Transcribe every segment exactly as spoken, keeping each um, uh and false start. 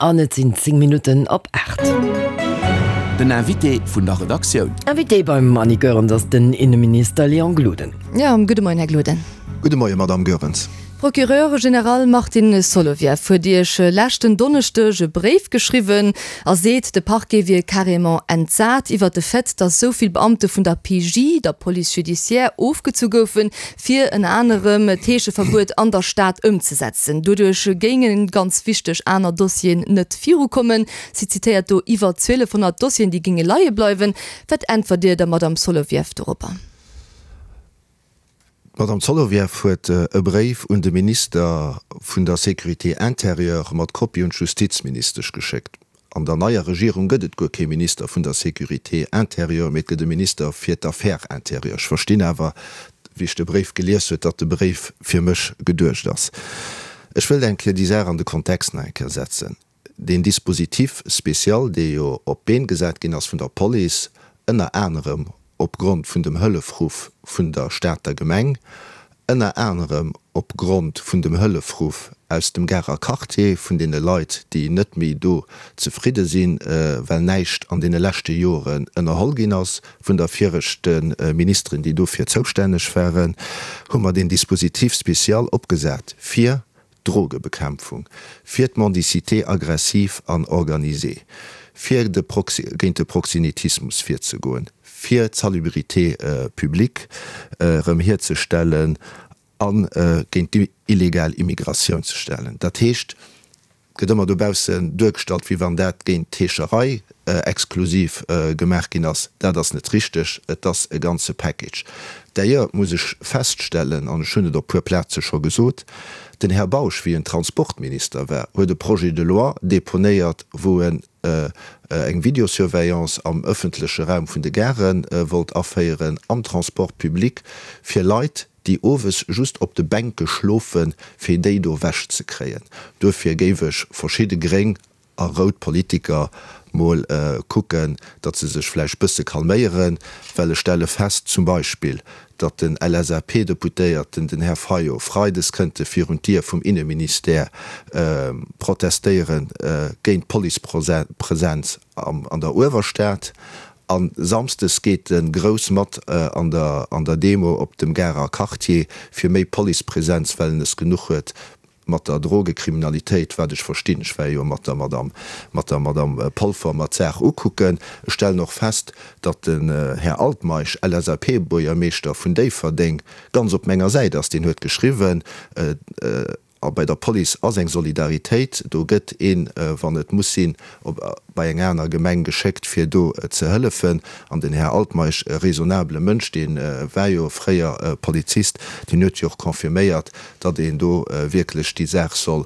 An et sinn zéng Minutten op aacht. Den Invité vun der Redaktioun. Invité beim Annie Goerens ass den Inneminister Léon Gloden. Jo, gudde Moien, Här Gloden. Gudde Moien, Madamm Goerens. Procureur général Martin Solovieff huet Iech leschten Donneschdeg e Bréif geschriwwen a seet, de Parquet wier carrément entsat iwwert de Fait, datt esou vill Beamte vun der P J, der Police judiciaire, ofgezu goufen, fir ënner anerem d'Heescheverbuet an der Stad ëmzesetzen. Doduerch géinge ganz wichteg aner Dossieren net virukommen. Si zitéiert do iwwer zwielefhonnert Dossieren, déi géinge leie bleiwen. Wat äntwert Dir der Madamm Solovieff doropper? D'Madamm Solovieff huet e Bréif un de Minister vun der Sécurité intérieure mat Kopie un d'Justizministesch geschéckt. An der neier Regierung gëtt et guer kee Minister vun der Sécurité intérieure, mee et gëtt e Minister fir d'Affaires intérieures. Ech verstinn awer, wéi ech de Bréif gelies huet, datt de Bréif fir mech geduecht ass. Ech wëllt eng Kéier déi Saach an de Kontext nach eng Kéier setzen. Deen Dispositif spécial, dee jo op d'Been gesat ginn ass vun der Police, ënner anerem opgrond vun dem Hëllefruff vun der Stater Gemeng, ënner anerem opgrond vun dem Hëllefruff aus dem Garer Quartier, vun deene Leit, déi net méi do zefridde sinn, well näischt an deene leschte Joren ënnerholl ginn ass vun der viregte Ministeren, déi dofir zoustänneg waren, hu mer deen Dispositif spécial opgesat fir d'Drogebekämpfung, fir d'Mendicité aggressive an organisée, fir de géint de Proxénétismus virzegoen, fir d'Salubrité publique erëm hierzestellen a géint d'illegal Immigratioun ze stellen. Dat heescht, et gëtt ëmmer dobaussen duergestallt, wéi wann dat géint d'Heescherei exklusiv gemaach ginn ass. Dat ass net richteg. Et ass e ganze Package. D'ailleurs muss ech feststellen, an ech hunn et op puer Plaze scho gesot, den Här Bausch, wéi en Transportminister war, huet e Projet de loi deponéiert, wou en eng Videosurveillance am ëffentleche Raum vun de Gare wollt aféieren, am Transport public, fir Leit, déi owes just op de Bänke schlofen, fir déi do ewech ze kréien. Duerfir géif ech verschidde gréng a rout Politiker mol kucken, datt se sech vläicht bësse calméieren, well ech stelle fest zum Beispill, datt den L S A P-Deputéierten, den Här Fayot, freides kënnt e virun d'Dier vum Inneministère protestéiere géint d'Policepresenz an der Uewerstad, a samsdes geet e grouss mat an der Demo op dem Garer Quartier fir méi Policepresenz, well en es genuch huet mat der Drogekriminalitéit, wat ech verstinn. Ech war jo mat der Madame, mat der Madame Polfer mer d'Saach ukucken. Ech stellen och fest, datt den Här Altmeisch, L S A P-Buergermeeschter vun Déifferdeng, ganz op menger Säit ass. Deen huet geschriwwen, a bei der Police ass eng Solidaritéit, do gëtt een, wann et muss sinn, op bei eng aner Gemeng geschéckt, fir do ze hëllefen. An den Här Altmeisch, e raisonnabele Mënsch, dee war jo fréier Polizist, deen huet jo och confirméiert, datt een do wierklech déi Saach soll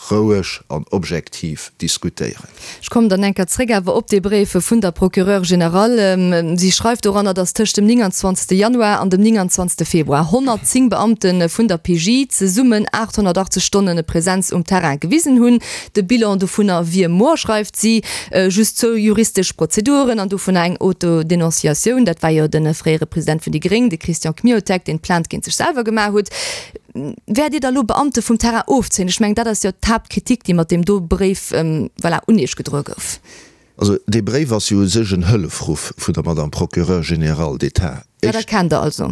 roueg an objektiv diskutéieren. Ech kommen dann eng Kéier zréck awer op dee Bréif vun der Procureure générale. Si schreift doranner, datt tëscht dem nénganzwanzegste Januar an dem nénganzwanzegste Februar honnertzéng Beamte vun der P J zesummen aathonnertachtzeg Stonne Presenz um Terrain gewisen hunn. De Bilan dovunner wier moer, schreift si, just zwou juristesch Prozeduren an dovunner eng Autodenonciatioun. Dat war jo de fréiere President vun déi Gréng, de Christian Kmiotek, deen d'Plainte géint sech selwer gemaach huet. Wäert Dir da lo Beamte vum Terrain ofzéien? Ech mengen, dat ass jo d'Haaptkritik, déi mat deem do Bréif, voilà, un Iech gedroe gouf. Also dee Bréif ass jo u sech en Hëllefruff vun der Madame Procureure générale d'État. Dat erkennt Der also?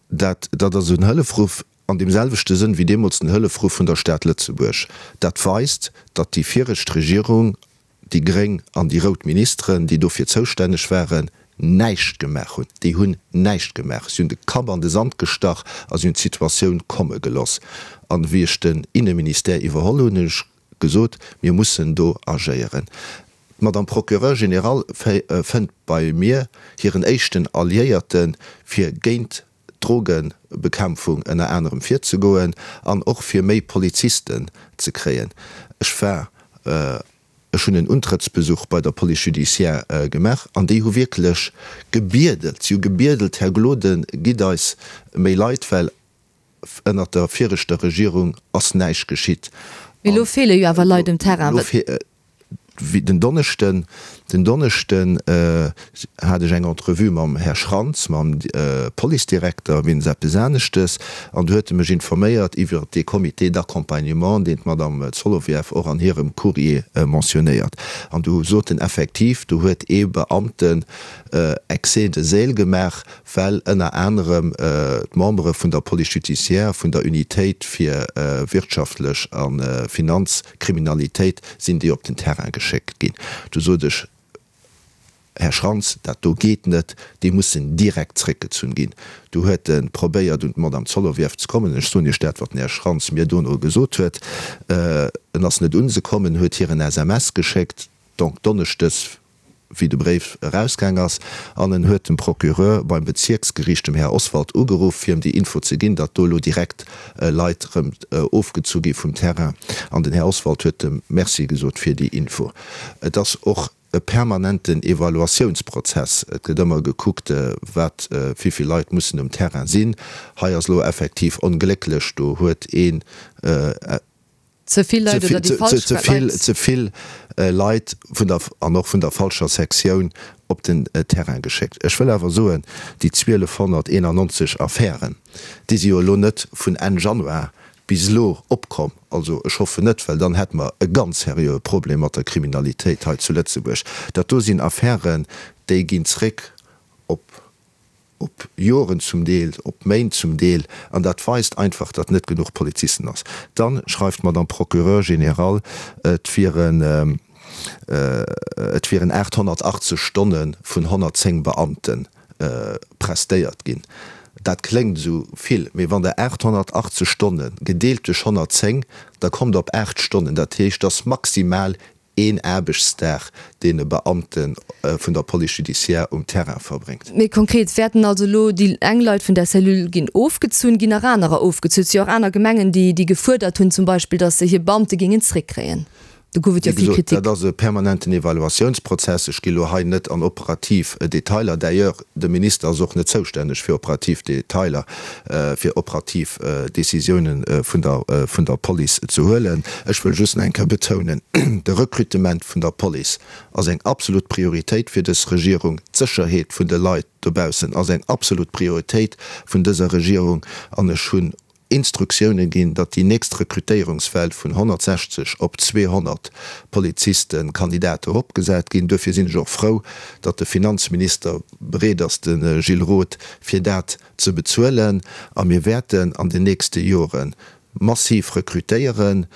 Dat, dat ass en Hëllefruff an deem selwechte Sënn wéi deemools den Hëllefruff vun der Stad Lëtzebuerg. Dat weist, datt déi viregt Regierung, déi gréng an déi rout Ministeren, déi dofir zoustänneg waren, näischt gemaach hunn. Déi hunn näischt gemaach. Si hunn de Kapp an de Sand gestach a si hunn d'Situatioun komme geloss. An wéi ech den Inneministère iwwerholl hunn, hunn ech gesot, mir mussen do agéieren. D'Madame Procureure générale fënnt bei mir hiren éischten Alliéierte fir géint d'Drogebekämpfung ënner anerem virzegoen an och fir méi Polizisten ze kréien. Ech war, ech hunn en Untrëttsbesuch bei der Police judiciaire gemaach an déi hu wierklech gebiedelt, si hu gebiedelt, Här Gloden, gitt eis méi Leit, well ënnert der viregter Regierung ass näischt geschitt. Mee elo feele jo awer Leit um Terrain. Wéi den Donneschden Den Donneschden hat ech eng Entrevue mam Här Schrantz, mam Policedirekter, wéinst eppes aneschtes, an do huet e mech informéiert iwwert dee Comité d'accompagnement, deen d'Madame Solovieff och an hirem Courrier mentionnéiert. An do sot en effektiv, do huet ee Beamten Excès de zèle gemaach, well ënner anerem d'Membere vun der Police judiciaire, vun der Unitéit fir wirtschaftlech a Finanzkriminalitéit sinn déi op den Terrain geschéckt ginn. Du sot ech, Här Schrantz, dat do geet net, déi mussen direkt zréckgezunn ginn. Du huet e probéiert un d'Madame Solovieff ze kommen. Ech soen Iech dat, wat den Här Schrantz mir dono gesot huet. En ass net un se komm, en huet hir en S M S geschéckt, donc donneschdes, wéi de Bréif erausgaang ass, an en huet dem Procureur beim Bezierksgeriicht, dem Här Oswald, ugeruff, fir em déi Info ze ginn, datt do elo direkt Leit erëm ofgezu gi vum Terrain. An den Här Oswald huet em Merci gesot fir déi Info. Et ass och e permanenten Evaluatiounsprozess. Et gëtt ëmmer gekuckt, wat, wéi vill Leit mussen um Terrain sinn. Hei ass elo effektiv onglécklech, do huet een, Ze vill Leit oder déi falsch Leit? Ze vill Leit vun der, an och vun der falscher Sektioun op den Terrain geschéckt. Ech wëll awer soen, déi zwielefhonnerteenannonzeg Affären, déi si jo elo net vun Enn Januar bis elo opkomm. Also ech hoffen net, well dann hätte mer e ganz seriöe Problem mat der Kriminalitéit hei zu Lëtzebuerg. Dat do sinn Affären, déi ginn zréck op op Joren zum Deel, op Méint zum Deel, an dat weist einfach, datt net genuch Polizisten ass. Dann schreift d'Madame Procureure générale, et wieren et wieren aathonnertachtzeg Stonne vun honnertzéng Beamte prestéiert ginn. Dat kléngt esou vill, mee wann Der aathonnertachtzeg Stonne gedeelt duerch honnertzéng, da kommt Der op aacht Stonnen. Dat heescht, dass maximal een Aarbechtsdag, deen e Beamte vun der Police judiciaire um Terrain verbréngt. Méi konkret, Wäerten also elo déi eng Leit vun där Cellule ginn ofgezunn, ginn nach anerer ofgezunn? Et si jo och aner Gemengen, déi déi gefuerdert hunn zum Beispill, datt se hir Beamte géingen zréckkréien. Do gouf et jo Wéi vill gesot, Kritik. dat ass e permanenten Evaluatiounsprozess. Ech gi lo hei net an operativ Detailer. D'ailleurs, de Minister ass och net zoustänneg fir operativ Detailer, fir operativ Décisiounen vun der vun der Police ze huelen. Ech wëll just nach eng Kéier betounen, De Recrutement vun der Police ass eng absolut Prioritéit fir dës Regierung. D'Sécherheet vun de Leit dobaussen ass eng absolut Prioritéit vun dëser Regierung. An ech hunn Instruktioune ginn, datt déi nächst Rekrutéierungswell vun honnertsechzeg op zweehonnert Polizisten, Kandidate eropgesat ginn. Duerfir sinn ech och frou, datt de Finanzminister bereet ass, de Gilles Roth, fir dat ze bezuelen. A mir wäerten an den nächste Jore massiv rekrutéieren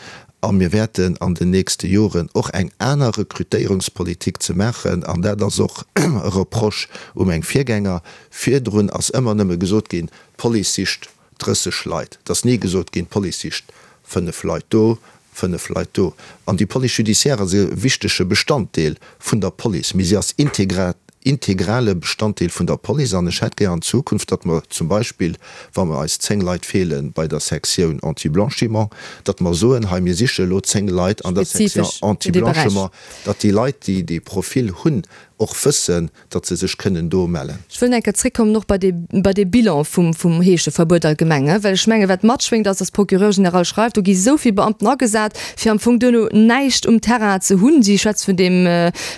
a mir wäerten an den nächste Joren och eng aner Rekrutéierungspolitik ze maachen. An dat ass och e Reproche u meng Virgänger. Virdrun ass ëmmer nëmme gesot ginn, d'Police sicht drësseg Leit. Et ass ni gesot ginn, d'Police sicht fënnef Leit do, fënnef Leit do. An déi Police judiciaire ass e wichtege Bestanddeel vun der Police, mee si ass integrale Bestanddeel vun der Police. An ech hätt gär an Zukunft, datt mer zum Beispill, wa mer eis zéng Leit feele bei der Sektioun Anti-Blanchiment, datt mer soen, hei mir siche elo zéng Leit an der Sektioun Anti-Blanchiment, datt déi Leit, déi dee Profil hunn, och wëssen, datt se sech kënnen do mellen. Ech wëll nach eng Kéier zréckkommen och bei dee, bei dee Bilan vum, vum Heescheverbuet allgemeng, well ech mengen, wat matschwéngt, ass, dass d'Procureure générale schreift, do gi sou vill Beamten agesat, fir am Fong duerno näischt um Terrain ze hunn. Si schwätzt vun deem,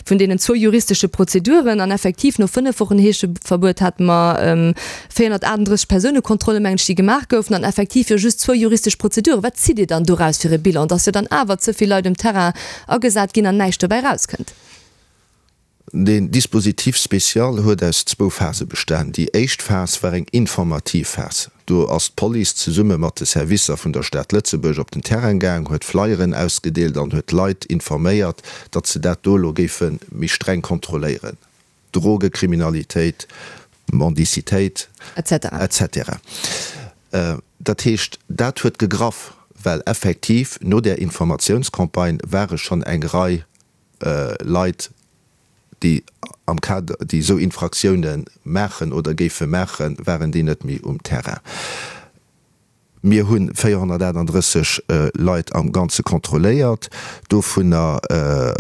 vun deenen zwou juristesche Prozeduren an effektiv no fënnef Wochen Heescheverbuet hate mer véierhonnertaachtenddrësseg Persounekontrollen, mengen ech, déi gemaach goufen an effektiv jo just zwou juristesch Prozeduren. Wat zitt Dir dann doraus fir e Bilan, dass jo dann awer ze vill Leit um Terrain agesat ginn an näischt dobäi erauskënnt? Deen Dispositif spécial huet aus zwou Phase bestan. Déi éischt Phas war eng informativ Phas. Do ass d'Police zesumme mat de Servicer vun der Stad Lëtzebuerg op den Terrain gaang, huet Flyeren ausgedeelt an huet d'Leit informéiert, datt se dat do elo géife méi streng kontrolléieren, Drogekriminalitéit, Mendicitéit, et cetera. Dat heescht, dat huet gegraff, well effektiv no där Informatiounscampagne ware schonn eng Rei Leit, déi am Kader, déi esou Infraktioune maachen oder géife maachen, waren déi net méi um Terrain. Mir hu véierhonnertaachtenddrësseg Leit am Ganze kontrolléiert. Dovunner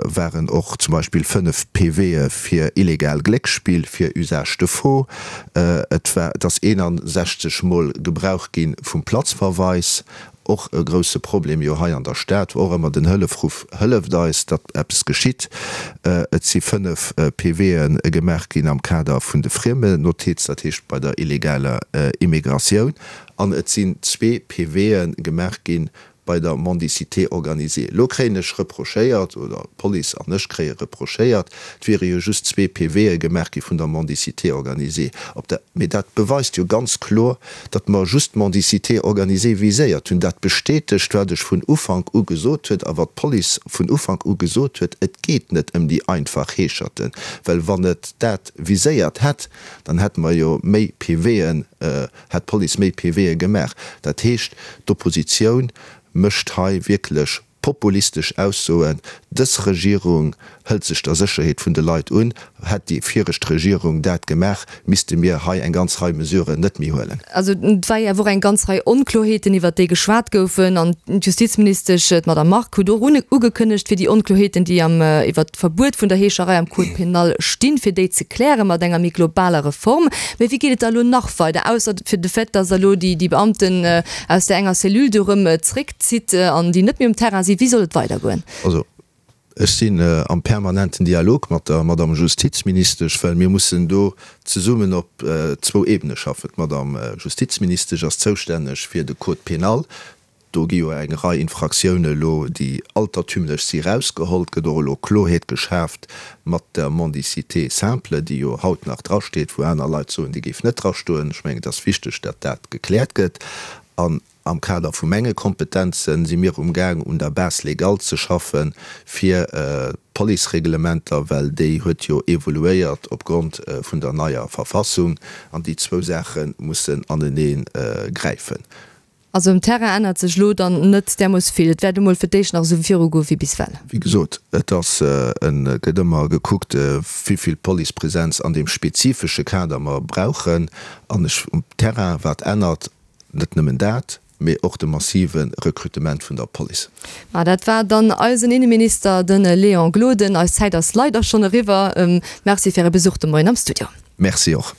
waren och zum Beispill fënnef P W'e fir illegal Glécksspill, fir Usage de faux. Et war, et ass eenundsechzeg Mol Gebrauch gi vum Platzverweis. Och e grousse Problem jo hei an der Stad, wou och ëmmer den Hëllefruff Hëlleft eis, datt eppes geschitt. Et si fënnef PVe gemaach ginn am Kader vun de Friemenotiz, dat heescht bei der illegaler Immigratioun, an et sinn zwee PVe gemaach ginn bei der Mendicité organisée. Elo kréien ech reprochéiert, oder d'Police an ech kréie reprochéiert, et wiere jo just zwee PVe gemaach gi vun der Mendicité organisée. Op der, mee dat beweist jo ganz kloer, datt mer just d'Mendicité organisée viséiert hunn. Dat bestätegt, wat ech vun Ufank u gesot huet a wat d'Police vun Ufank u gesot huet, Et geet net ëm déi einfach Heescherten, well wann et dat viséiert hätt, dann hätte mer jo méi PVen, hätt d'Police méi PVe gemaach. Dat heescht, d'Oppositioun mécht hei wierklech populistesch Aussoen. Dës Regierung hëlt sech der Sécherheet vun de Leit un. Hätt déi viregt Regierung dat gemaach, misste mir hei eng ganz Rei Mesuren net méi huelen. Also et war jo awer och eng ganz Rei Onkloheeten, iwwert déi geschwat goufen. An d'Justizministesch, d'Madame Margue, huet och ugekënnegt, fir déi Onkloheeten, déi am iwwert d'Verbuet vun der Heescherei am Code pénal stinn, fir déi ze kläre mat enger méi globaler Reform. Mee wéi geet et da elo nach weider, ausser fir de Fait, datt Der elo déi Beamten aus där enger Cellule do erëm zréckzitt an déi net méi um Terrain sinn? Wéi soll et weidergoen? Also, ech sinn am permanenten Dialog mat der Madame Justizministesch, well mir mussen do zesummen op zwou Ebene schaffen. D'Madame Justizministesch ass zoustänneg fir de Code pénal. Do gi jo eng Rei Infraktioune elo, déi altertümlech si, erausgeholl. Et gëtt och elo Kloheet geschaaft mat der Mendicité simple, déi jo haut nach drasteet, wou aner Leit soen, déi géif net drastoen. Ech mengen, et ass wichteg, datt dat gekläert gëtt. An am Kader vu menge Kompetenze si mir umgaang, un der Base légale ze schaffen, fir d'Policereglementer, well déi huet jo evoluéiert opgrond vun der neier Verfassung, an déi zwou Saache mussen anenee gräifen. Also um Terrain ännert sech elo dann net därmooss vill. Et wäert emol fir d'éischt nach esou virugoe wéi bis well. Wéi gesot, et ass en, et gëtt ëmmer gekuckt, wéi vill Policepresenz an deem spezifesche Kader mer brauchen. An ech, um Terrain, wat ännert, net nëmmen dat, mee och de massive Rekrutement vun der Police. Ma dat war dann eisen Inneminister, de Léon Gloden. Eis Zäit ass leider schonn eriwwer. Merci fir Äre Besuch de Moien am Studio. Merci och.